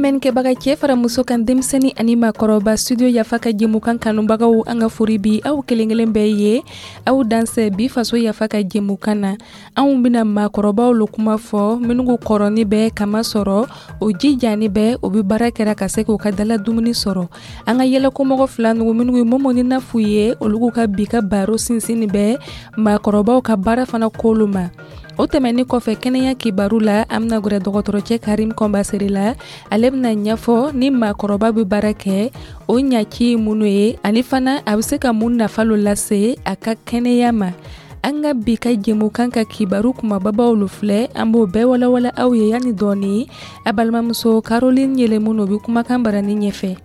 Lamɛnnikɛbaga, cɛ fara muso kan, denmisɛnnin ani maakɔrɔba, Studio Yafa ka jɛmukan kanubagaw, an ka fori bi aw kelen kelen bɛɛ ye. Aw dansɛ bi Faso Yafa ka jɛmukan na. Anw bɛna maakɔrɔbaw lo kuma fɔ, minnu kɔrɔni bɛ kama sɔrɔ o jijani bɛ o bɛ baara kɛra ka se k'u ka dala dumuni sɔrɔ. An ka yɛlɛkomɔgɔ fila nugu, minnu ye Momo ni Nafu ye, olu ka bi ka baro sinsin bɛ maakɔrɔbaw ka baara fana kolu ma. O tɛmɛnin kɔfɛ, kɛnɛya kibaru la, an bɛna gwɛrɛ dɔgɔtɔrɔcɛ Karim Kɔnbasere la. Ale bɛna ɲɛfɔ ni maakɔrɔba bɛ baara kɛ, o ɲaci ye minnu ye, ani fana a bɛ se ka mun nafa lo lase a ka kɛnɛya ma. An ka bi ka jɛmukan ka kibaru kumababaw lo filɛ, an b'o bɛɛ walawala aw ye yanni dɔɔni. A balimamuso Caroline Yɛlɛmu o bɛ kumakan barani ɲɛfɛ.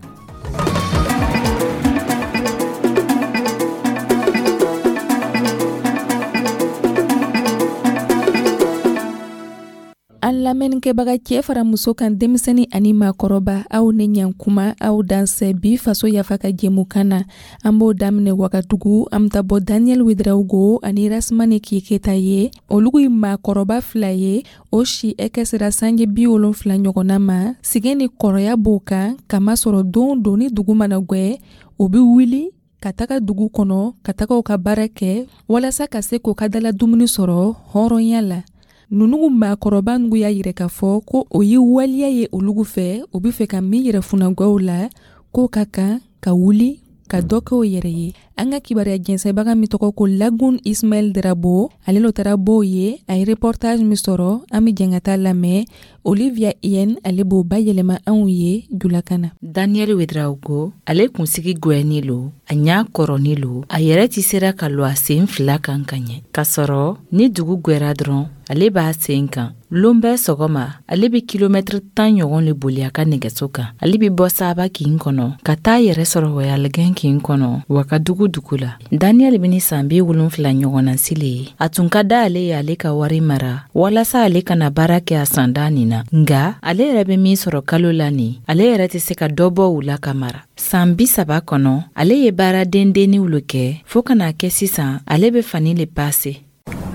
An lamɛnnikɛbaga, cɛ fara muso kan, denmisɛnnin ani maakɔrɔba, aw ni ɲankuma, aw dansɛ bi Faso Yafa ka jɛmukan na. An b'o daminɛ Wagadugu. An bɛ taa bɔ Daniel Ouedraogo ani Rasmani Keketa ye. Olu ye maakɔrɔba fila ye, o si ɛkɛ sera sanji 70 ɲɔgɔnna ma. Sigɛn ni kɔrɔya b'o kan, kamasɔrɔ don don ni dugu mana gwɛ, o bɛ wuli ka taga dugu kɔnɔ ka taga u ka baara kɛ walasa ka se k'u ka dala dumuni sɔrɔ hɔrɔnya la. Nunu maakɔrɔba nugu y'a yira k'a fɔ ko o ye waliya ye olugu fɛ, o be fɛ ka min yɛrɛ funankɛw la, k'o ka kan ka wuli ka dɔ kɛ o yɛrɛ ye. An ka kibaruya jɛnsɛbaga min tɔgɔ ko Lagun Ismaɛl Drabo, ale lo taara b'o ye. A ye reportage min sɔrɔ, an be jɛn ka taa lamɛn. Olivia Yen, ale b'o bayɛlɛma anw ye julakan na. Daniel Ouedraogo, ale kunsigi gwɛni lo, a ɲa kɔrɔni lo, a yɛrɛ tɛ sera ka lɔ a sen fila kan ka ɲɛ. K'a sɔrɔ ni dugu gwɛra dɔrɔn, ale b'a sen kan. Lon bɛɛ sɔgɔma, ale bɛ kilomɛtiri 10 ɲɔgɔn le boli a ka nɛgɛso kan. Ale bɛ bɔ Saba kin kɔnɔ ka taa yɛrɛ sɔrɔ Wayalɛgɛn kin kɔnɔ, Wagadugu dugu la. Daniel bɛ ni san 70 ɲɔgɔnna si le ye. A tun ka da ale ye ale ka wari mara walasa ale kana baara kɛ a sanda nin na, nga ale yɛrɛ bɛ min sɔrɔ kalo la nin, ale yɛrɛ tɛ se ka dɔ bɔ u la ka mara. San 30 kɔnɔ, ale ye baara dendenniw le kɛ fɔɔ ka n'a kɛ sisan ale bɛ fani le pase.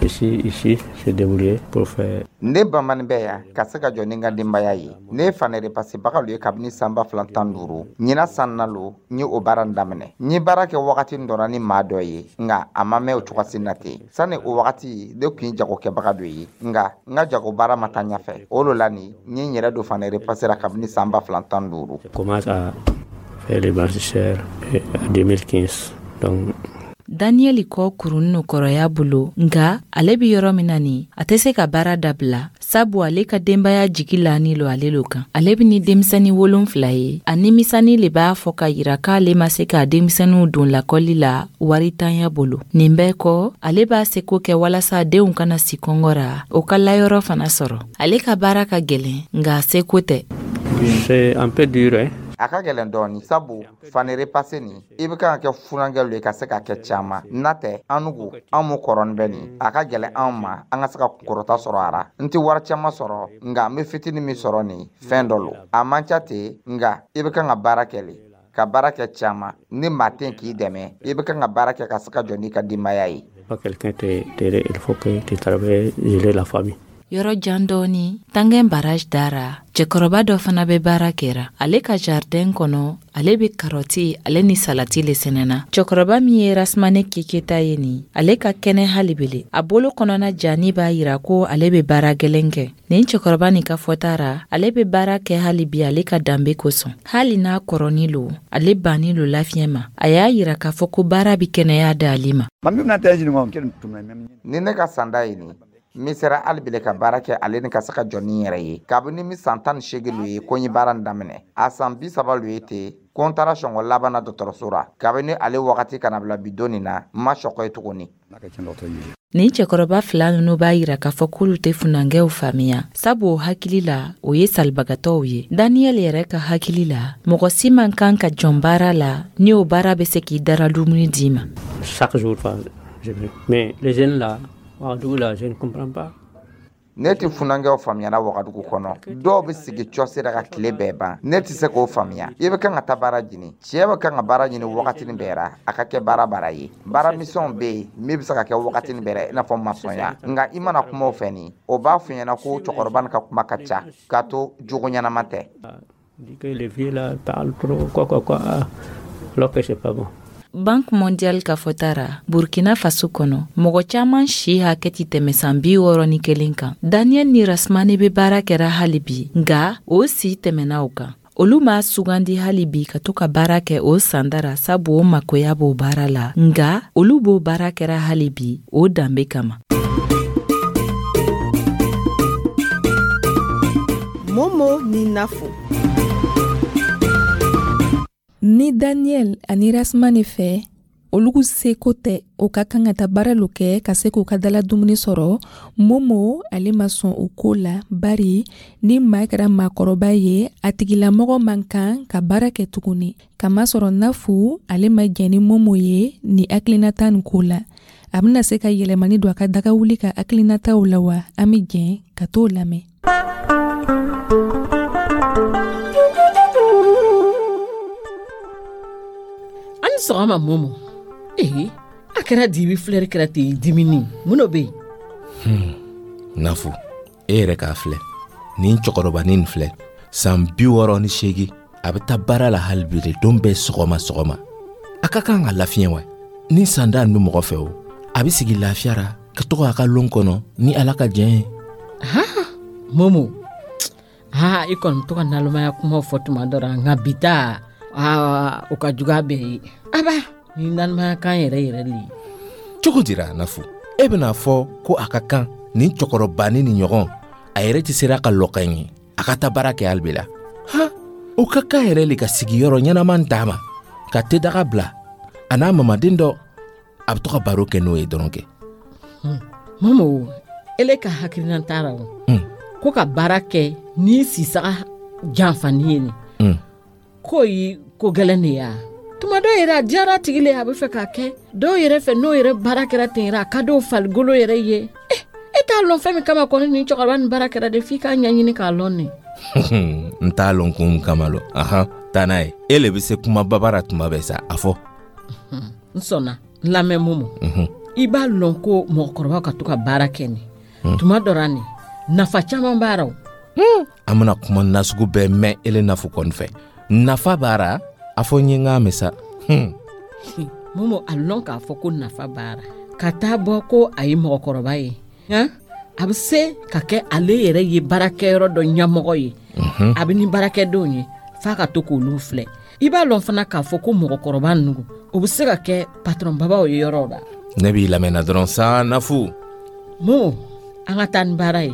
Ici, ici, j'ai débrouillé pour faire. Ne bamanin bɛ yan ka se ka jɔ ni n ka denbaya ye. Ne ye fani repassebaga lo ye kabini san 2015. Ɲina san na lo n ye o baara n daminɛ. N ye baara kɛ wagati dɔ la ni maa dɔ ye, nka a ma mɛn o cogosi na ten. Sani o wagati, ne tun ye jagokɛbaga dɔ ye, nka n ka jago baara ma taa ɲɛfɛ. O lo la nin n ye n yɛrɛ don fani repasse la kabini san 2015. Commence à faire les blanchisseurs en 2015. Donc Daniyɛli kɔ kurun no kɔrɔya bolo, nga ale be yɔrɔ min na nin, a tɛ se ka baara dabila, sabu ale ka denbaya jigi lani lo ale lo kan. Ale be ni denmisɛni 7 ye. A nimisani le b'a fɔ ka yira k'ale ma se k'a denmisɛniw don lakɔli la waritanya bolo. Nin bɛɛ kɔ, ale b'a seko kɛ walasa denw kana si kɔngɔ ra, o ka layɔrɔ fana sɔrɔ. Ale ka baara ka gwɛlɛn, nga a seko tɛ. C'est un peu dur, hein? A ka gɛlɛn dɔɔni, sabu fani repasse nin, i bɛ kan ka kɛ funankɛ lo ye ka se ka kɛ caman n'a tɛ. An nugu an mu kɔrɔni bɛ nin, a ka gɛlɛn anw ma an ka se ka kunkɔrɔta sɔrɔ a ra. N tɛ wari caman sɔrɔ, nka n bɛ fitinin min sɔrɔ nin, fɛn dɔ lo, a man ca ten, nka i bɛ kan ka baara kɛ le, ka baara kɛ caman. Ni maa tɛ k'i dɛmɛ, i bɛ kan ka baara kɛ ka se ka jɔ n'i ka denbaya ye. Pas quelqu'un t'aider, il faut que tu travailles, gérer la famille. Yɔrɔ jan dɔɔni, Tangɛn barrage dara, cɛkɔrɔba dɔ fana bɛ baara kɛra ale ka jardin kɔnɔ. Ale bɛ karɔti ale ni salati le sɛnɛna. Cɛkɔrɔba min ye Rasmane Keketa ye nin, ale ka kɛnɛ hali bele. A bolo kɔnɔna jani b'a yira ko ale bɛ baara gɛlɛn kɛ. Nin cɛkɔrɔba nin ka fɔta ra, ale bɛ baara kɛ hali bi ale ka danbe kosɔn. Hali n'a kɔrɔni lo, ale banni lo lafiɲɛ ma. A y'a yira k'a fɔ ko baara bɛ kɛnɛya d'ale ma. Ni ne ka sanda ye nin, n sera hali bile ka baara kɛ ale ni ka se ka jɔ ni n yɛrɛ ye. Kabini mi san 18 lo ye ko n ye baara nin daminɛ, a san 30 lo ye ten ko n taara sɔngɔ laban na dɔgɔtɔrɔso ra. Kabini ale wagati kana bila bi don nin na, n ma sɔkɔ ye tuguni. Nin cɛkɔrɔba fila nunu b'a yira k'a fɔ k'olu tɛ funankɛw faamuya, sabu o hakili la, o ye salibagatɔw ye. Daniyɛli yɛrɛ ka hakili la, mɔgɔ si man kan ka jɔn baara la ni o baara bɛ se k'i dara dumuni d'i ma. Chaque jour, mais les jeunes là, Ouagadougou là, je ne comprends pas. Ne tɛ funankɛw faamuyara Wagadugu kɔnɔ. Dɔw bɛ sigi cɔsi la ka tile bɛɛ ban. Ne tɛ se k'o faamuya. I bɛ kan ka taa baara ɲini, cɛ bɛ kan ka baara ɲini wagatinin bɛɛ ra, a ka kɛ baara baara ye. Baara misɛnw bɛ yen min bɛ se ka kɛ wagatinin bɛɛ ra, i n'a fɔ masɔnya, nka i mana kuma o fɛ nin, o b'a fɔ ɲɛna ko cɛkɔrɔba nin ka kuma ka ca, k'a to jogo ɲɛnama tɛ. Dit que les vieux là parlent trop, quoi, quoi, quoi, alors que c'est pas bon. Banque mondiale ka fɔta ra, Burkina Faso kɔnɔ, mɔgɔ caaman si hakɛ ti tɛmɛ san 61 kan. Daniel ni Rasmani be baara kɛra hali bi, nga o si tɛmɛna o kan. Olu m'a sugandi hali bi ka to ka baara kɛ o sanda ra, sabu o makoya b'o baara la, nga olu b'o baara kɛra hali bi o danbe kama. Momo ni Nafo. Ni Daniel ani Rasmani fɛ, olugu seko tɛ, o ka kan ka taa baara lo kɛ ka se k'u ka dala dumuni sɔrɔ. Momo ale ma sɔn o ko la, bari ni maa kɛra maakɔrɔba ye, a tigilamɔgɔ man kan ka baara kɛ tuguni. Kamasɔrɔ Nafu ale ma jɛn ni Momo ye ni hakilinata nin ko la. A bɛna se ka yɛlɛmani don a ka daga wuli ka hakilinataw la wa? An bɛ jɛn ka t'o lamɛn. An sɔgɔma Momo. Ee, a kɛra dibi filɛri kɛra ten dimini, mun dɔ bɛ yen? Nafu, e yɛrɛ k'a filɛ, nin cɛkɔrɔbanin nin filɛ, san 68, a bɛ taa baara la hali bi de, don bɛɛ sɔgɔma sɔgɔma. A ka kan ka lafiɲɛ wa? Ni sanda nin bɛ mɔgɔ fɛ o, a bɛ sigi lafiya ra ka to k'a ka lon kɔnɔ ni Ala ka jɛn ye. Ha, Momo, ha, i kɔni to ka nalomaya kumaw fɔ tuma dɔ la, nka bi ta, aa, o ka jugu a bɛɛ ye. Aba, ni nalomaya kan yɛrɛ yɛrɛ le ye. Cogo dira Nafu, e bɛna fɔ ko a ka kan nin cɛkɔrɔbanin ni ɲɔgɔn, a yɛrɛ tɛ sera ka lɔ ka ɲɛ, a ka taa baara kɛ hali bi la. Ha, o ka kan yɛrɛ le ka sigiyɔrɔ ɲɛnama d'a ma, ka tedaga bila a n'a mamaden dɔ, a bɛ to ka baro kɛ n'o ye dɔrɔn kɛ. Momo, ele ka hakilina t'a la o. Ko ka baara kɛ ni sisaga janfani ye nin. K'o ye ko gɛlɛn de ye wa? Tuma dɔw yɛrɛ a diyara a tigi le, a bɛ fɛ k'a kɛ. Dɔw yɛrɛ fɛ, n'o yɛrɛ baara kɛra ten yɛrɛ, a ka dɔw farikolo yɛrɛ ye. E t'a lɔn fɛn min kama kɔni nin cɛkɔrɔba nin baara kɛra de, f'i k'a ɲɛɲini k'a lɔn nin. N t'a lɔn kun kama lɔ. Ahan, taa n'a ye. E le bɛ se kuma babara tuma bɛɛ sa, a fɔ. N sɔnna, n lamɛn Momo. I b'a lɔn ko mɔgɔkɔrɔbaw ka to ka baara kɛ nin. Tuma dɔ la nin, nafa caman b'a la o. An bɛna kuma nasugu bɛɛ mɛn ele Nafu kɔni fɛ. Nafa b'a la, a fɔ n ye n k'a mɛn sa. Momo, a lɔn k'a fɔ ko nafa b'a la. Ka taa bɔ ko a ye mɔgɔkɔrɔba ye. Han? A bɛ se ka kɛ ale yɛrɛ ye baarakɛyɔrɔ dɔ ɲɛmɔgɔ ye. A bɛ ni baarakɛdenw ye, f'a ka to k'olu filɛ. I b'a lɔn fana k'a fɔ ko mɔgɔkɔrɔba ninnu, o bɛ se ka kɛ patɔrɔn babaw ye yɔrɔw la. Ne b'i lamɛnna dɔrɔn sa, Nafu. Momo, an ka taa ni baara ye.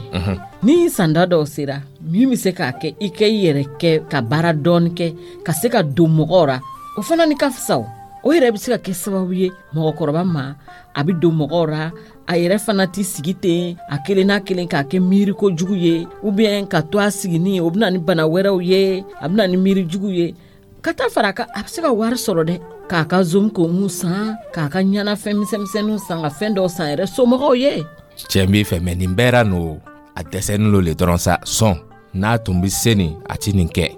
Ni sanda dɔw sera, min bɛ se k'a kɛ i kɛ i yɛrɛ kɛ ka baara dɔɔni kɛ, ka se ka don mɔgɔw ra, o fana ni ka fisa o. O yɛrɛ bɛ se ka kɛ sababu ye mɔgɔkɔrɔba ma, a bɛ don mɔgɔw ra, a yɛrɛ fana t'i sigi ten, a kelen n'a kelen k'a kɛ miiri kojugu ye, ou bien ka to a sigini, o bɛ na ni bana wɛrɛw ye, a bɛ na ni miiri jugu ye. Ka taa fara a kan, a bɛ se ka wari sɔrɔ dɛ, k'a ka zom komu san, k'a ka ɲɛnafɛn misɛnmisɛnninw san, ka fɛn dɔw san yɛrɛ somɔgɔw ye. Cɛ b'i fɛ, mɛ nin bɛɛ ra n'o, a dɛsɛnin lo le dɔrɔn sa, sɔn n'a tun bɛ se nin, a ti nin kɛ.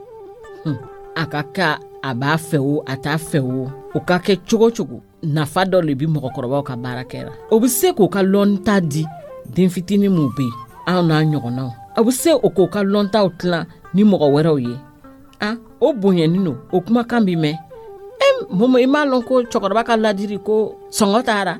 A ka ka a b'a fɛ o, a t'a fɛ o, o ka kɛ cogo cogo, nafa dɔ le bi mɔgɔkɔrɔbaw ka baara kɛra. O bɛ se k'o ka lɔnta di den fitinin minw bɛ yen, anw n'a ɲɔgɔnnaw. A bɛ se o k'o ka lɔntaw tilan ni mɔgɔ wɛrɛw ye. A, o bonyanin don, o kumakan bi mɛn. Momo, i m'a lɔn ko cɛkɔrɔba ka ladiri ko sɔngɔ taara?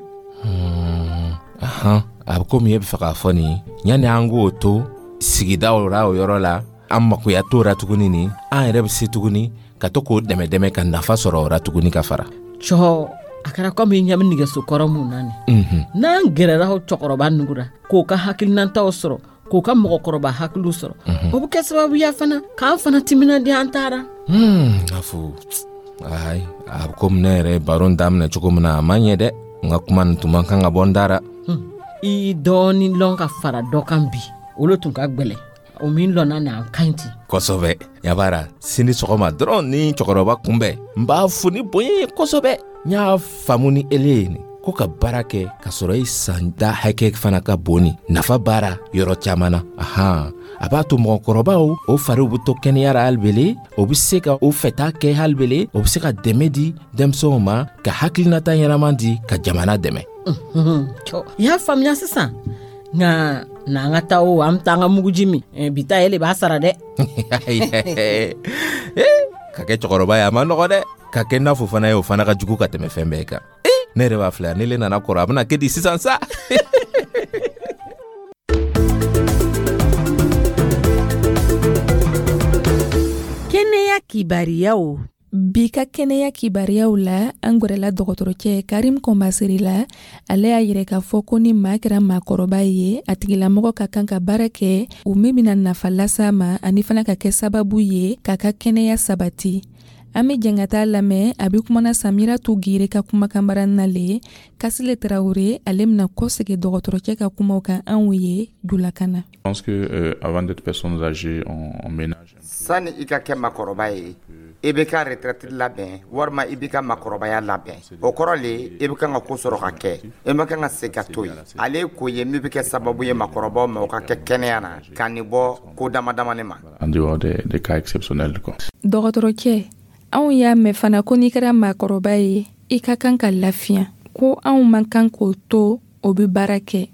Ahan, a bɛ komi e bɛ fɛ k'a fɔ nin, yanni an k'o to sigidaw la o yɔrɔ la, an makoya t'o ra tuguni nin, an yɛrɛ bɛ se tuguni ka to k'o dɛmɛ dɛmɛ ka nafa sɔrɔ o ra tuguni ka fara. Cɔ, a kɛra komi i ɲɛ bɛ nɛgɛso kɔrɔ mun na nin. N'an gɛrɛra o cɛkɔrɔba nugu ra, k'o ka hakilinataw sɔrɔ, k'o ka mɔgɔkɔrɔba hakiliw sɔrɔ, o bɛ kɛ sababuya fana k'an fana timinandiya an taara. Nafu, ayi, a bɛ komi ne yɛrɛ ye baro in daminɛ cogo min na, a ma ɲɛ dɛ. N ka kuma nin tun man kan ka bɔ n da ra. I dɔɔnin lɔn ka fara dɔ kan bi, olu tun ka gwɛlɛ. O min lɔnna na, an ka ɲi ten. Kosɛbɛ. Yabara, sini sɔgɔma dɔrɔn ni cɛkɔrɔba kunbɛn, n b'a fo ni bonya ye kosɛbɛ. N y'a faamu ni ele ye nin, ko ka baara kɛ ka sɔrɔ i san da hakɛ fana ka bon ni nafa baara yɔrɔ caman na. Ahan, a b'a to mɔgɔkɔrɔbaw o fariw bɛ to kɛnɛya ra halibele, o bɛ se ka o fɛta kɛ halibele, o bɛ se ka dɛmɛ di denmisɛnw ma, ka hakilinata ɲɛnama di, ka jamana dɛmɛ. I y'a faamuya sisan, nka Na an ka taa o, an bɛ taa an ka muguji min. Bi ta, ele b'a sara dɛ. Ka kɛ cɛkɔrɔba ye, a ma nɔgɔ dɛ. Ka kɛ Nafo fana ye, o fana ka jugu ka tɛmɛ fɛn bɛɛ kan. Ne yɛrɛ b'a filɛ, ne le nana kɔrɔ, a bɛna kɛ di sisan sa? Kɛnɛya kibariyaw. Bi ka kɛnɛya kibariyaw la, an gwɛrɛla dɔgɔtɔrɔcɛ Karim Kɔnbaseri la. Ale y'a yɛrɛ k'a fɔ ko ni maa kɛra maakɔrɔba ye, a tigilamɔgɔ ka kan ka baara kɛ o min bɛna nafa las'a ma, ani fana ka kɛ sababu ye k'a ka kɛnɛya sabati. An bɛ jɛn ka taa lamɛn, a bɛ kumana Samiratu Gire ka kumakanbara nale. Kasile Tarawele, ale bɛna kɔsegin dɔgɔtɔrɔcɛ ka kumaw kan anw ye julakan na. Je pense que avant d'être personnes âgées, on ménage. Sani i ka kɛ makɔrɔba ye, i bɛ ka retraite labɛn walima i b'i ka makɔrɔbaya labɛn. O kɔrɔ le, i bɛ kan ka ko sɔrɔ ka kɛ, i ma kan ka se ka to yen. Ale ye ko ye min bɛ kɛ sababu ye makɔrɔbaw ma, o ka kɛ kɛnɛya na, ka nin bɔ ko dama damani ma. En dehors des cas exceptionnels, quoi. Dɔgɔtɔrɔcɛ, anw y'a mɛn fana ko n'i kɛra maakɔrɔba ye, i ka kan ka lafiya, ko anw man kan k'o to o bɛ baara kɛ,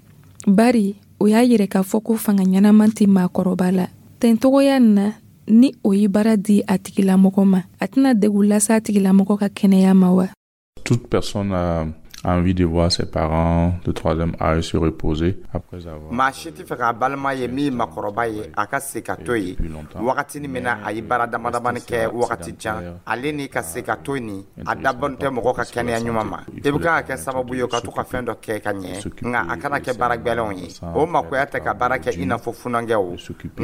bari o y'a yɛrɛ k'a fɔ ko fanga ɲɛnama tɛ maakɔrɔba la. Tɛntogoya na, ni o ye baara di a tigilamɔgɔ ma, a tɛna degun lase a tigilamɔgɔ ka kɛnɛya ma wa? Toute personne a envie de voir ses parents de troisième âge se reposer après avoir Maa si tɛ fɛ k'a balima ye min ye makɔrɔba ye, a ka se ka to yen wagatinin min na a ye baara dama damani kɛ wagati jan. Ale ni ka se ka to nin, a dabɔn tɛ mɔgɔ ka kɛnɛya ɲuman ma. I bɛ kan ka kɛ sababu ye ka to ka fɛn dɔ kɛ ka ɲɛ, nka a kana kɛ baara gwɛlɛnw ye. O makoya tɛ ka baara kɛ i n'a fɔ funankɛw,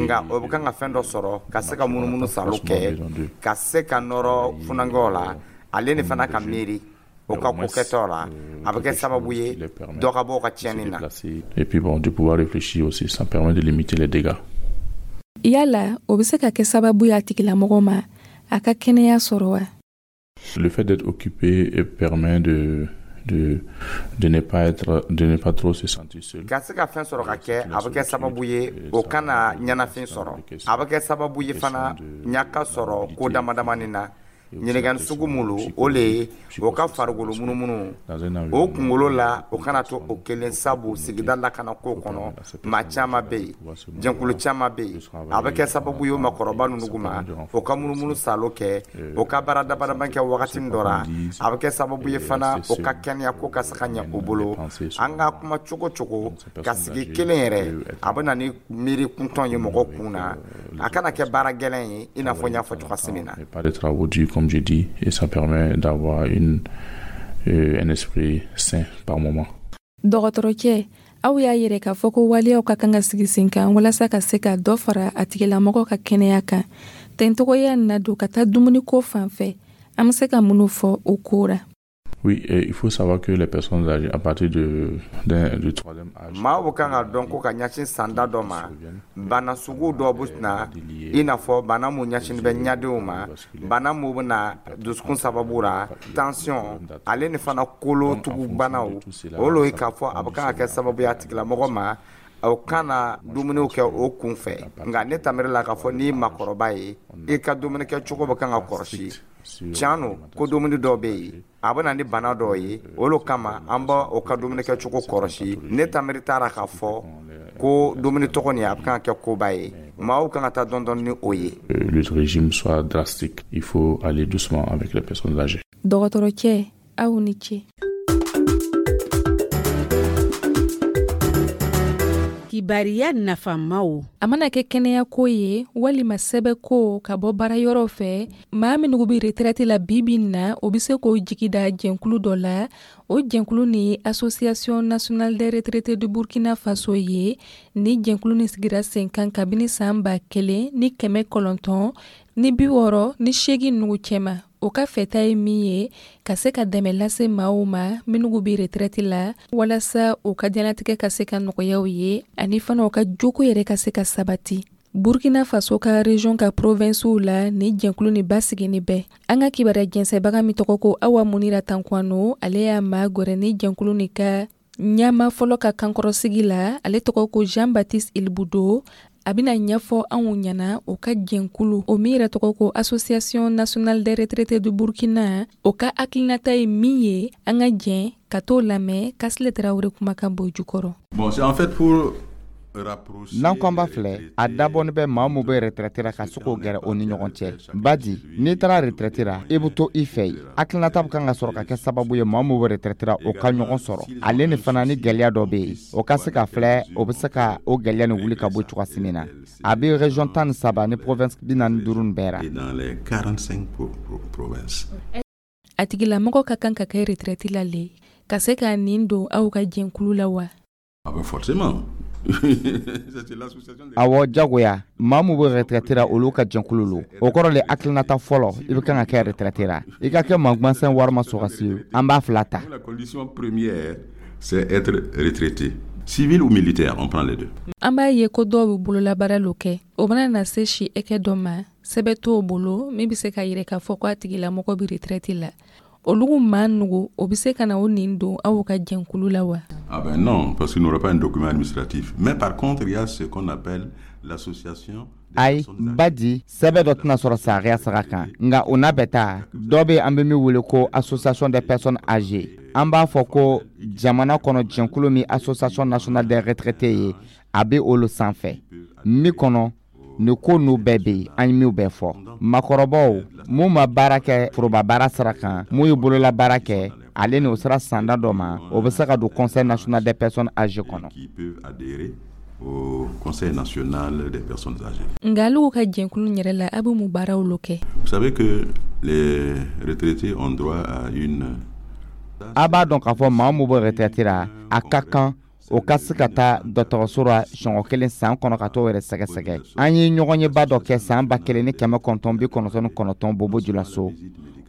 nka o bɛ kan ka fɛn dɔ sɔrɔ ka se ka munumunu salo kɛ, ka se ka nɔrɔ funankɛw la. Ale ni fana ka miiri o ka ko kɛtɔ la, a bɛ kɛ sababu ye dɔ ka bɔ o ka tiɲɛni na. Et puis bon, de pouvoir réfléchir aussi, ça permet de limiter les dégâts. Yala o bɛ se ka kɛ sababu ye a tigilamɔgɔ ma a ka kɛnɛya sɔrɔ wa? Le fait d'être occupé permet de ne pas trop se sentir seul. Ka se ka fɛn sɔrɔ ka kɛ, a bɛ kɛ sababu ye o kana ɲɛnafin sɔrɔ. A bɛ kɛ sababu ye fana ɲaka sɔrɔ ko dama damani na. Ɲininkali sugu mun o le ye, o ka farikolo munumunu o kunkolo la, o kana to o kelen, sabu sigida lakana ko kɔnɔ, maa caman bɛ yen, jɛnkulu caman bɛ yen. A bɛ kɛ sababu ye o makɔrɔba ninnu ma, o ka munumunu salo kɛ, o ka baara damadama kɛ wagati dɔ la. A bɛ kɛ sababu ye fana o ka kɛnɛya ko ka se ka ɲɛ o bolo. An ka kuma cogo cogo, ka sigi kelen yɛrɛ, a bɛ na ni miiri kuntɔn ye mɔgɔ kun na. A kana kɛ baara gɛlɛn ye, i n'a fɔ n y'a fɔ cogoya min na. Pas de travaux durs, comme j'ai dit, et ça permet d'avoir un esprit sain par moment. Dɔgɔtɔrɔcɛ, aw y'a yɛrɛ k'a fɔ ko waleyaw ka kan ka sigi sen kan walasa ka se ka dɔ fara a tigilamɔgɔ ka kɛnɛya kan. Tɛntogoya na don ka taa dumuniko fan fɛ, an bɛ se ka minnu fɔ o ko ra? Oui, et il faut savoir que les personnes âgées, à partir du troisième âge, Maaw bɛ kan ka dɔn ko ka ɲɛsin sanda dɔ ma, bana sugu dɔ bɛ na, i n'a fɔ bana mun ɲɛsin bɛ ɲadenw ma, bana mun bɛ na dusukun sababu la, tension, ale ni fana kolotugubanaw. O lo ye k'a fɔ a bɛ kan ka kɛ sababu ye a tigilamɔgɔ ma, o kana dumuniw kɛ o kun fɛ. Nka ne tamiri la k'a fɔ n'i ye makɔrɔba ye, i ka dumuni kɛ cogo bɛ kan ka kɔlɔsi. Tiɲɛ don ko dumuni dɔw bɛ yen, a bɛ na ni bana dɔw ye. O lo kama an b'a o ka dumuni kɛ cogo kɔlɔsi. Ne tamiri taara k'a fɔ ko dumuni tɔgɔ nin, a bɛ kan ka kɛ koba ye, maaw kan ka taa dɔɔni dɔɔni ni o ye. Le régime soit drastique. Il faut aller doucement avec les personnes âgées. Dɔgɔtɔrɔcɛ, aw ni ce. Kibariya nafamaw. A mana kɛ kɛnɛyako ye walima sɛbɛko ka bɔ baara yɔrɔ fɛ, maa minnu bɛ retraite la bi bi in na, o bɛ se k'o jigi da jɛnkulu dɔ la. O jɛnkulu ni Association nationale des retraités du Burkina Faso ye. Ni jɛnkulu ni sigira sen kan kabini san 1968 nugu cɛma. O ka fɛta ye min ye, ka se ka dɛmɛ lase maaw ma minnu bɛ retraite la, walasa u ka diɲɛlatigɛ ka se ka nɔgɔyaw ye, ani fana u ka joko yɛrɛ ka se ka sabati. Burkina Faso ka région ka provincew la, ni jɛnkulu ni basigini bɛɛ. An ka kibaruya jɛnsɛbaga min tɔgɔ ko Awa Munira Tankwano, ale y'a maa gwɛrɛ ni jɛnkulu ni ka ɲɛma fɔlɔ ka kankɔrɔsigi la. Ale tɔgɔ ko Jean Baptiste Ilbudo. A bɛna ɲɛfɔ anw ɲɛna o ka jɛnkulu, o min yɛrɛ tɔgɔ ko Association nationale des retraités du Burkina, o ka hakilinata ye min ye. An ka jɛn ka t'o lamɛn Kasile Tarawele kumakan bɔ jukɔrɔ. Bon, c'est en fait pour N'an ko an b'a filɛ, a dabɔnin bɛ maa min bɛ retraite ra ka se k'o gɛrɛ o ni ɲɔgɔn cɛ. Badi, n'i taara retraite ra, i bɛ to i fɛ yen. Hakilinata bɛ kan ka sɔrɔ ka kɛ sababu ye, maa min bɛ retraite ra, o ka ɲɔgɔn sɔrɔ. Ale ni fana, ni gɛlɛya dɔ bɛ yen, o ka se ka filɛ, o bɛ se ka o gɛlɛya nin wuli ka bɔ cogoya min na. A bɛ région 13 ni province 45 bɛɛ ra. A tigilamɔgɔ ka kan ka kɛ retraite la le ka se ka nin don aw ka jɛnkulu la wa? Ah ben forcément. Awɔ, jagoya. Maa min bɛ retraite ra, olu ka jɛnkulu lo. O kɔrɔ le, hakilinata fɔlɔ, i bɛ kan ka kɛ retraite ra, i ka kɛ maa gansan walima sɔrɔdasi, an b'a fila ta. La condition première, c'est être retraité. Civil ou militaire, on prend les deux. An b'a ye ko dɔw bɛ bololabaara lo kɛ. O mana na se si hakɛ dɔ ma, sɛbɛn t'o bolo min bɛ se ka yira k'a fɔ ko a tigilamɔgɔ bɛ retraite la. Olugu maa nugu, o bɛ se ka na o nin don aw ka jɛnkulu la wa? Ah ben non, parce qu'il n'aura pas un document administratif. Mais par contre, il y a ce qu'on appelle l'association. Ayi, badi, sɛbɛn dɔ tɛna sɔrɔ sariya sira kan. Nka o n'a bɛ taa, dɔ bɛ, an bɛ min wele ko association des personnes âgées. An b'a fɔ ko jamana kɔnɔ, jɛnkulu min Association nationale des retraités ye, a bɛ olu sanfɛ min kɔnɔ, nin ko n'u bɛɛ bɛ yen. An ye min bɛɛ fɔ, makɔrɔbaw mun ma baara kɛ foroba baara sira kan, mun ye bolola baara kɛ, ale ni o sera sanda dɔ ma, o bɛ se ka don Conseil national des personnes âgées kɔnɔ. Qui peuvent adhérer au Conseil national des personnes âgées. Nka alugu ka jɛnkulu yɛrɛ la, a bɛ mun baaraw lo kɛ? Vous savez que les retraités ont droit à une A b'a dɔn k'a fɔ maa min bɛ retraite la, a ka kan o ka se ka taa dɔgɔtɔrɔso la siɲɛ kelen san kɔnɔ ka t'o yɛrɛ sɛgɛsɛgɛ. An ye ɲɔgɔnyeba dɔ kɛ san 1999 Bobo Julaso.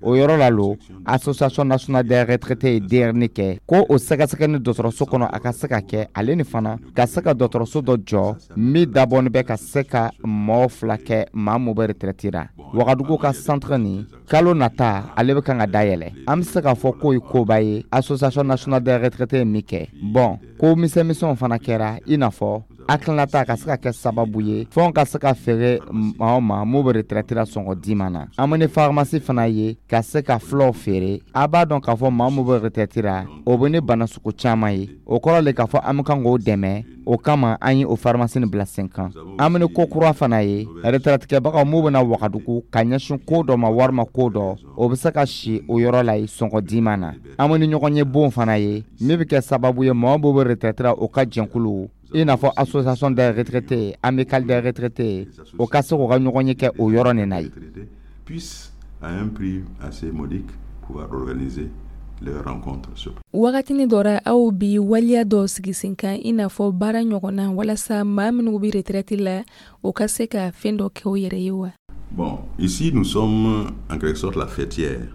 O yɔrɔ la lo, Association nationale des retraités ye denyɛrɛni kɛ ko o sɛgɛsɛgɛ ni dɔgɔtɔrɔso kɔnɔ, a ka se ka kɛ. Ale ni fana ka se ka dɔgɔtɔrɔso dɔ jɔ min dabɔnin bɛ ka se ka mɔgɔw fila kɛ, maa min bɛ retraite la. Wagadugu ka centre nin, kalo nata ale bɛ kan ka dayɛlɛ. An bɛ se k'a fɔ k'o ye koba ye, Association nationale des retraités ye min kɛ. Bɔn, ko misɛnmisɛnw fana kɛra, i n'a fɔ hakilinata ka se ka kɛ sababu ye fɛnw ka se ka feere maaw ma mun bɛ retraite la sɔngɔ diman na. An bɛ ni pharmacie fana ye ka se ka fulaw feere. A b'a dɔn k'a fɔ maa min bɛ retraite la, o bɛ ni bana sugu caman ye. O kɔrɔ le k'a fɔ an bɛ kan k'o dɛmɛ. O kama an ye o pharmacie nin bila sen kan. An bɛ ni ko kura fana ye, retraite-kɛbagaw mun bɛna Wagadugu ka ɲɛsin ko dɔ ma walima ko dɔ, o bɛ se ka si o yɔrɔ la yen sɔngɔ diman na. An bɛ ni ɲɔgɔn ye bon fana ye min bɛ kɛ sababu ye, mɔgɔ minnu bɛ retraite la, o ka jɛnkulu, i n'a fɔ association des retraités, amicale des retraités, o ka se k'u ka ɲɔgɔn ye kɛ o yɔrɔ nin na yen. Puissent à un prix assez modique pouvoir organiser leurs rencontres sur Wagatini dɔ ra, aw bi waliya dɔ sigi sen kan, i n'a fɔ baara ɲɔgɔnna, walasa maa minnu bɛ retraite la, o ka se ka fɛn dɔ kɛ u yɛrɛ ye wa? Bon, ici nous sommes en quelque sorte la faîtière.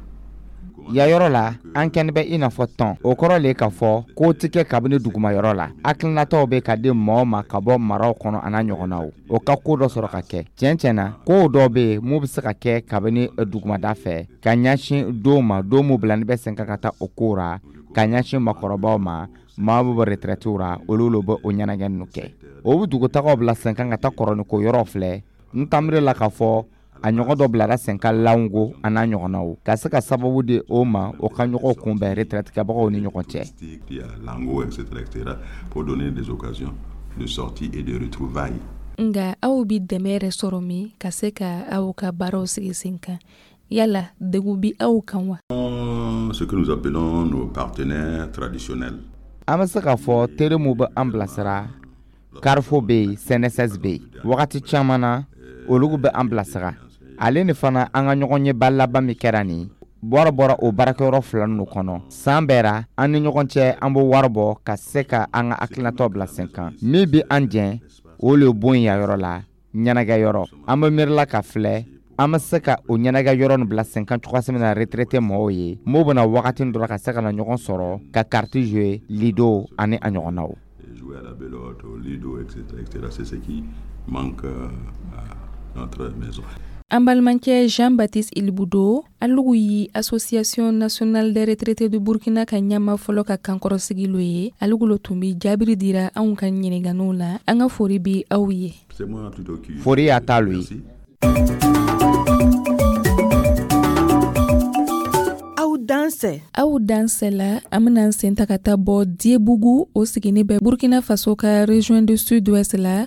Ya yɔrɔ la, an kɛni bɛ i n'a fɔ tɔn. O kɔrɔ le k'a fɔ ko tɛ kɛ kabini dugumayɔrɔ la. Hakilinataw bɛ ka di mɔgɔw ma ka bɔ maraw kɔnɔ, a n'a ɲɔgɔnnaw, o ka ko dɔ sɔrɔ ka kɛ. Tiɲɛ tiɲɛ na, kow dɔw bɛ yen mun bɛ se ka kɛ kabini dugumada fɛ ka ɲɛsin don ma, don mun bilani bɛ sen kan ka taa o ko ra ka ɲɛsin makɔrɔbaw ma. Maa bɛ bɔ retraite ra, olu lo bɛ o ɲɛnajɛ ninnu kɛ. O bɛ dugutagaw bila sen kan ka taa kɔrɔniko yɔrɔ filɛ. N tamire la k'a fɔ a ɲɔgɔn dɔ bilara sen kan Lango, a n'a ɲɔgɔnnaw, ka se ka sababu di o ma, o ka ɲɔgɔn kunbɛn retraite-kɛbagaw ni ɲɔgɔn cɛ. Il y a Lango, etc., etc., pour donner des occasions de sortie et de retrouvailles. Nga aw bi dɛmɛ yɛrɛ sɔrɔ min ka se ka aw ka baaraw sigi sen kan, yala degun bi aw kan wa? Ce que nous appelons nos partenaires traditionnels. An bɛ se k'a fɔ teri mun bɛ an bilasira, Carrefour bɛ yen, CNSS bɛ yen. Wagati caman na, olu bɛ an bilasira. Ale ni fana, an ka ɲɔgɔn ɲɛba laban min kɛra nin, wari bɔra o baarakɛyɔrɔ fila ninnu kɔnɔ. San bɛɛ ra, an ni ɲɔgɔn cɛ, an bɛ wari bɔ ka se ka an ka hakilinataw bila sen kan. Min bɛ an jɛn, o le bon yan yɔrɔ la ɲɛnajɛ yɔrɔ. An bɛ miirila ka filɛ, an bɛ se ka o ɲɛnajɛ yɔrɔ nin bila sen kan cogoya min na, retraité mɔgɔw ye m'o bɛna wagati dɔrɔn ka se ka na ɲɔgɔn sɔrɔ ka carte jouer, lido ani a ɲɔgɔnnaw. Jouer à la belote, au lido, etc., etc. C'est ce qui manque à notre maison. An balimakɛ Jean Baptiste Ilboudo, alugu yi Association nationale des retraités du Burkina ka ɲɛma fɔlɔ ka kankɔrɔsigi lo ye. Alugu lo tun bi jaabiri dira anw ka ɲininganiw la. An ka fori bi aw ye. C'est moi plutôt qui Fori y'a ta lo ye. Aw Dansɛ. Aw dansɛ la, an bena an sen ta ka taa bɔ Diébougou, o sigini bɛ Burkina Faso ka région du Sud-Ouest la.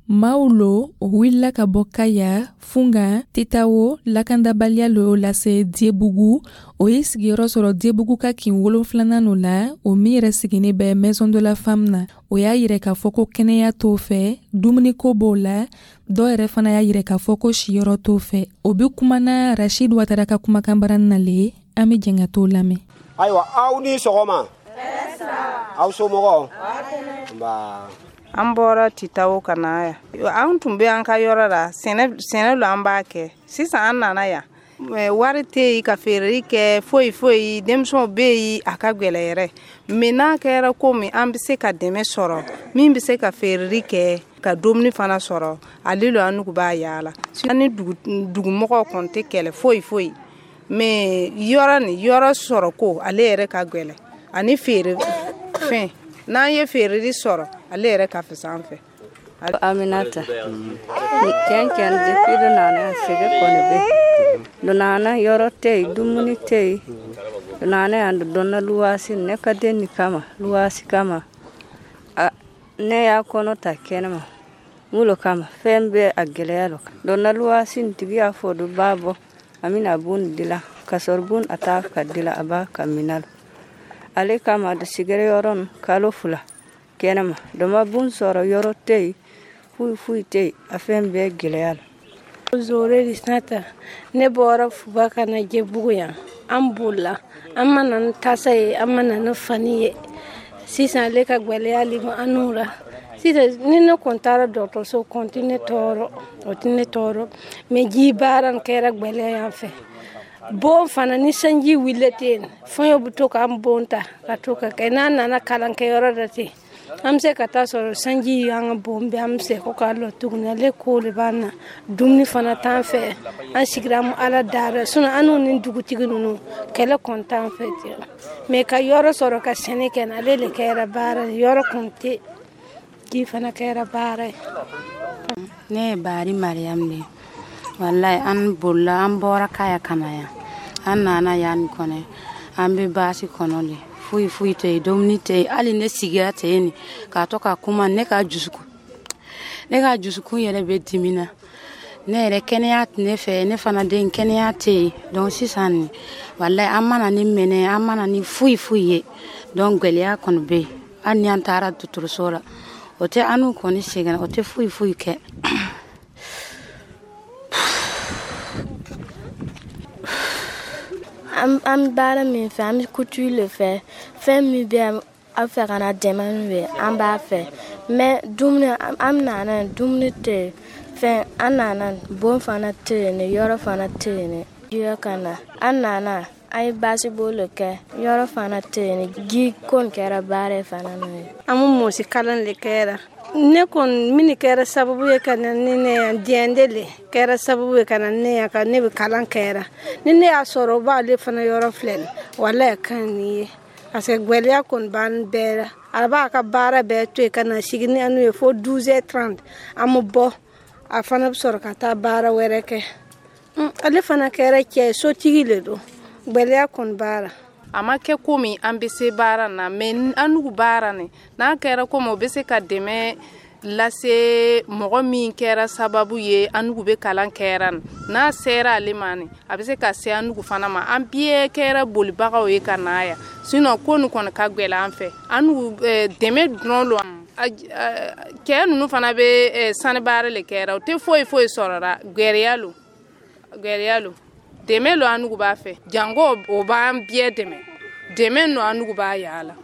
Maaw lo o wulila ka bɔ Kaya, Funga, Titawo, lakandabaliya lo lase Diébougou. O ye sigiyɔrɔ sɔrɔ Diébougou ka kin 7nan no la, o min yɛrɛ sigini bɛ Maison de la Femme na. O y'a yirɛ k'a fɔ ko kɛnɛya t'o fɛ, dumuniko b'o la, dɔw yɛrɛ fana y'a yirɛ k'a fɔ ko siyɔrɔ t'o fɛ. O be kumana Rachid Ouattara ka kumakan baran na le, an be jɛn ka t'o lamɛn. Ayiwa, aw ni sɔgɔma, aw somɔgɔw? Nba. An bɔra Titawo ka na yan. An tun bɛ an ka yɔrɔ la, sɛnɛ lo an b'a kɛ. Sisan an nana yan, wari tɛ yen ka feereli kɛ, foyi foyi. Denmisɛnw bɛ yen, a ka gɛlɛ yɛrɛ. Mais n'a kɛra komi an bɛ se ka dɛmɛ sɔrɔ, min bɛ se ka feereli kɛ ka dumuni fana sɔrɔ, ale lo an nugu b'a yaala. An ni dugumɔgɔw kɔni tɛ kɛlɛ foyi foyi, mais yɔrɔ ni yɔrɔ sɔrɔ ko ale yɛrɛ ka gɛlɛ, ani feere fɛn. N'an ye feereli sɔrɔ, ale yɛrɛ ka fisa an fɛ. Aminata, tiɲɛ tiɲɛ, depuis dɔ nana yan, sɛgɛn kɔni bɛ dɔ nana, yɔrɔ tɛ yen, dumuni tɛ yen. Dɔ nana yan, dɔ donna luwasi ne ka den nin kama, luwasi kama. A ne y'a kɔnɔ ta kɛnɛma mulo kama, fɛn bɛɛ a gɛlɛya lo. Donna luwasi nin tigi y'a fɔ dɔ b'a bɔ, a bɛna bon dilan, ka sɔrɔ bon a t'a ka dilan, a b'a ka minɛ ale kama. Dɔ sigɛrɛ yɔrɔ nin kalo 2 kɛnɛma, dɔ ma bon sɔrɔ, yɔrɔ tɛ yen, foyi foyi tɛ yen, a fɛn bɛɛ gɛlɛya la. Zore Lisnata, ne bɔra Fuba ka na Jɛbugu yan. An bolila, an ma na ni tasa ye, an ma na ni fani ye. Sisan ale ka gwɛlɛya le ma an n'u la. Sisan ni ne kɔni taara dɔgɔtɔrɔso, kɔni tɛ ne tɔɔrɔ, o tɛ ne tɔɔrɔ, mais ji baara nin kɛra gwɛlɛya yan fɛ. Bon fana, ni sanji wulila ten, fɛn bɛ to k'an bon ta ka to ka kɛ. N'an nana kalankɛyɔrɔ la ten, an bɛ se ka taa sɔrɔ sanji y'an ka bon bɛɛ, an bɛ se ko k'a lɔ tuguni. Ale ko de b'an na, dumuni fana t'an fɛ. An sigira an Ala dara, sinon an n'u ni dugutigi ninnu, kɛlɛ kɔni t'an fɛ ten, mais ka yɔrɔ sɔrɔ ka sɛnɛ kɛ, ale de kɛra baara ye. Yɔrɔ kɔni tɛ, ji fana kɛra baara ye. Ne ye Bari Mariam de ye. Walayi, an bolila, an bɔra Kaya ka na yan. An nana yan kɔnɔ, an bɛ baasi kɔnɔ de, foyi foyi tɛ yen, dumuni tɛ yen. Hali ne sigira ten nin k'a to ka kuma, ne ka dusukun yɛrɛ bɛ dimina. Ne yɛrɛ, kɛnɛya tɛ ne fɛ, ne fana den, kɛnɛya tɛ yen. Donc sisan nin, walayi, an mana ni minɛ, an mana ni foyi foyi ye. Donc gɛlɛya kɔni bɛ yen. Hali ni an taara dɔgɔtɔrɔso la, o tɛ an n'u kɔni sɛgɛn, o tɛ foyi foyi kɛ. An bɛ baara min fɛ, an bɛ couture le fɛ. Fɛn min bɛ aw fɛ ka na dɛmɛ min bɛ, an b'a fɛ, mais dumuni, an nana, dumuni tɛ yen. Fɛn, an nana, bon fana tɛ yen, yɔrɔ fana tɛ yen. Ji ka na, an nana, an ye baasi bolo kɛ, yɔrɔ fana tɛ yen, ji ko kɛra baara fana n'o ye. An bɛ mɔsi kalan de kɛra. Ne kɔni, min kɛra sababu ye ka na ni ne yan, diɲɛ de kɛra sababu ye ka na ne yan, ka ne bɛ kalan kɛra. Ni ne y'a sɔrɔ o b'ale fana yɔrɔ filɛ nin, walayi, ka ɲi nin ye, parce que gwɛlɛya kɔni b'an bɛɛ la. A b'a ka baara bɛɛ to yen ka na sigi ni an ye fo 12h30, an bɛ bɔ, a fana bɛ sɔrɔ ka taa baara wɛrɛ kɛ. Ale fana kɛra cɛ ye, sotigi le don. Gwɛlɛya kɔni b'a la. A ma kɛ komi an bɛ se baara na, mais an n'u baara nin, n'a kɛra komi o bɛ se ka dɛmɛ lase mɔgɔ min kɛra sababu ye an n'u bɛ kalan kɛra nin, n'a sera ale ma nin, a bɛ se ka se an n'u fana ma. An bɛɛ kɛra bolibagaw ye ka na yan, sinon ko nin kɔni ka gɛlɛn an fɛ. An n'u dɛmɛ dɔrɔn lo. Cɛ ninnu fana bɛ sani baara le kɛra, o tɛ foyi foyi sɔrɔra. Gɛrɛya lo, gɛrɛya lo, dɛmɛ lo an n'u b'a fɛ. Jango o b'an bɛɛ dɛmɛ, dɛmɛ no an n'u b'a yaala.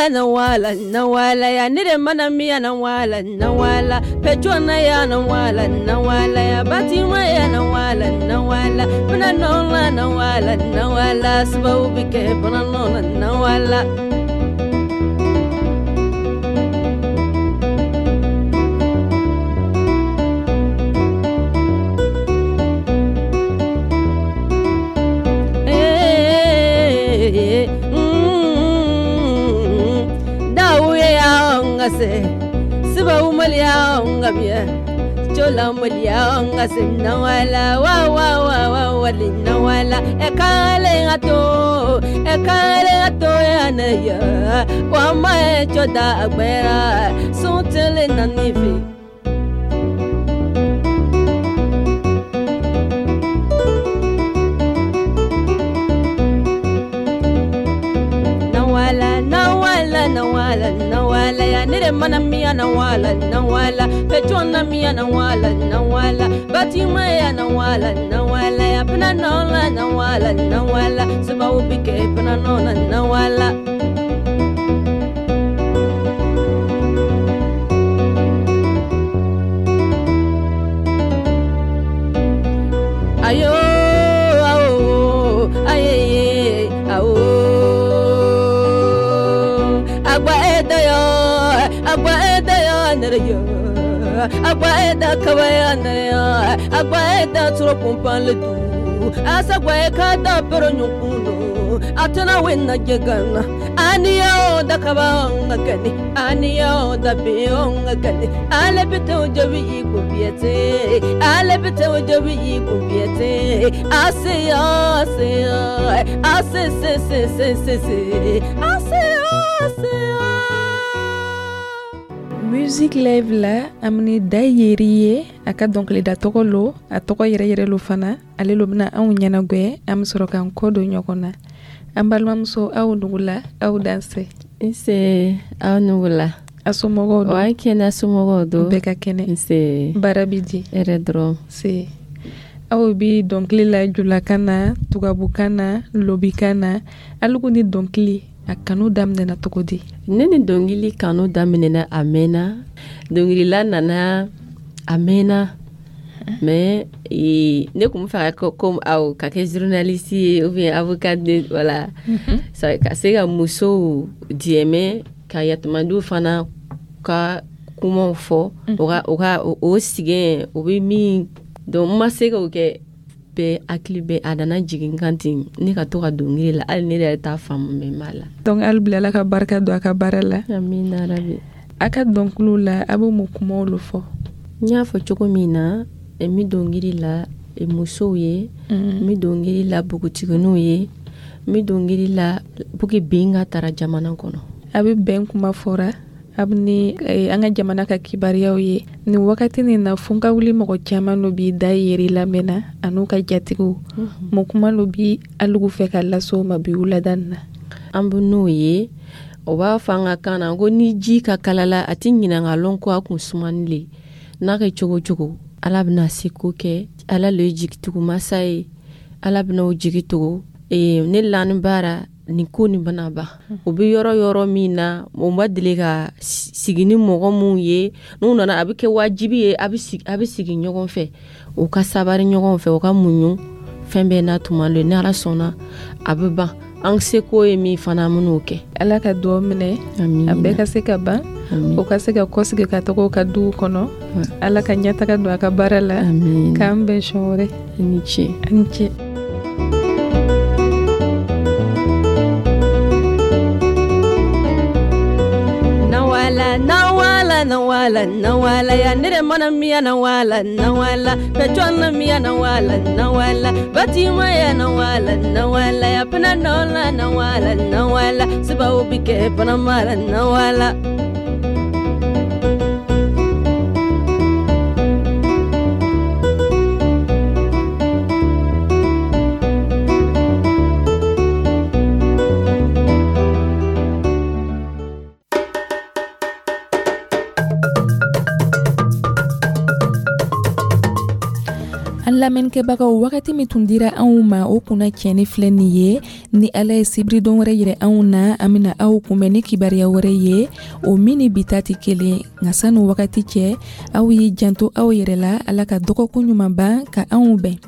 Nawala, nawala ya ne de mana miya, nawala, nawala pejona ya, nawala, nawala ya batima ya, nawala, nawala bana nola, nawala, nawala sababu bɛ kɛ bana nɔla, nawala. ngase siba umalia ngamia chola malia ngase nawala wa wa wa wa wali nawala ekale ngato ekale ngato ya na ya wa ma choda agbera suntele na nifi. Nawala nawala nawala ya nire mana miya nawala nawala pechona miya nawala nawala batima ya nawala nawala ya pina nola nawala nawala siba ubike pina nona nawala. Ayo awo aye awo agba eda yo agba eda yo nere yo agba eda kaba yo nere yo agba eda turo kumpan le du asa gba e ka da pero nyukuno atana wenna jegana aniya o da kaba nga kani aniya o da be o nga kani ale bite o jabi iko biete ale bite o jabi iko biete ase ase ase se se se se se ase ase. Musique live la amini da yeri ye a ka dɔnkilida tɔgɔ lo a tɔgɔ yɛrɛ yɛrɛ lo fana ale lo bɛna anw ɲɛnagwɛ an bɛ sɔrɔ k'an kɔ don ɲɔgɔn na. An balimamuso aw nugula aw danse. Nse aw nugula. A somɔgɔw don? Wa kɛnɛ somɔgɔw don. Bɛɛ ka kɛnɛ. Nse. Baara bi di? Hɛrɛ dɔrɔn. Se. Aw bi dɔnkili la julakan na tubabukan na lobikan na alugu ni dɔnkili a kanu daminɛna cogo di? Ne ni dɔnkili kanu daminɛna a mɛnna dɔnkilila nana a mɛnna mais ne kun bɛ fɛ ka comme aw ka kɛ journaliste ye ou bien avocat de voilà ka se ka musow dɛmɛ ka yatimadenw fana ka kumaw fɔ o ka o sɛgɛn o bɛ min donc n ma se k'o kɛ bɛɛ hakili bɛ a nana jigin kan ten ne ka to ka dɔnkili la hali ne yɛrɛ t'a faamu mɛ n b'a la. Donc hali bi Ala ka barika don a ka baara la. Amina rabi. A ka dɔnkiliw la a bɛ mun kumaw lo fɔ? N y'a fɔ cogo min na n bɛ dɔnkili la musow ye n bɛ dɔnkili la npogotigininw ye n bɛ dɔnkili la pour que bɛn ka tara jamana kɔnɔ. A bɛ bɛn kuma fɔra a bɛ ni an ka jamana ka kibaruyaw ye nin wagati nin na fo ka wuli mɔgɔ caman dɔ b'i da yeri lamɛnna an'u ka jatigiw mun kuma dɔ bi alugu fɛ ka lase o ma bi wulada nin na. An bɛ n'o ye o b'a fɔ an ka kan na ko ni ji ka kalala a ti ɲinɛ ka lɔn ko a kun sumani le n'a kɛ cogo cogo Ala bɛna seko kɛ Ala le ye jigitugumasa ye Ala bɛna o jigi tugu ne lani baara nin ko nin bɛna ban o bɛ yɔrɔ yɔrɔ min na o ma deli ka sigi ni mɔgɔ minnu ye n'u nana a bɛ kɛ wajibi ye a bɛ sigi ɲɔgɔn fɛ u ka sabari ɲɔgɔn fɛ u ka muɲu fɛn bɛɛ n'a tuma don ni Ala sɔnna a bɛ ban an seko ye min fana an bɛn'o kɛ. Ala ka dugawu minɛ a bɛɛ ka se ka ban o ka se ka kɔsigi ka taga ka duw kɔnɔ Ala ka ɲɛtaga don a ka baara la k'an bɛn siɲɛ wɛrɛ. I ni ce. I ni ce. Nawala nawala nawala nawala ya nire mana miya nawala nawala pechona miya nawala nawala batima ya nawala nawala ya pina nola nawala nawala siba ubike pina mala nawala. Lamɛnnikɛbagaw wagati min tun dira anw ma o kunna tiɲɛni filɛ nin ye ni Ala ye sibiridon wɛrɛ yira anw na an bɛna aw kunbɛn ni kibaruya wɛrɛ ye o min ni bi ta tɛ kelen nka sani wagati cɛ aw y'i janto aw yɛrɛ la Ala ka dɔgɔkun ɲuman ban ka anw bɛn.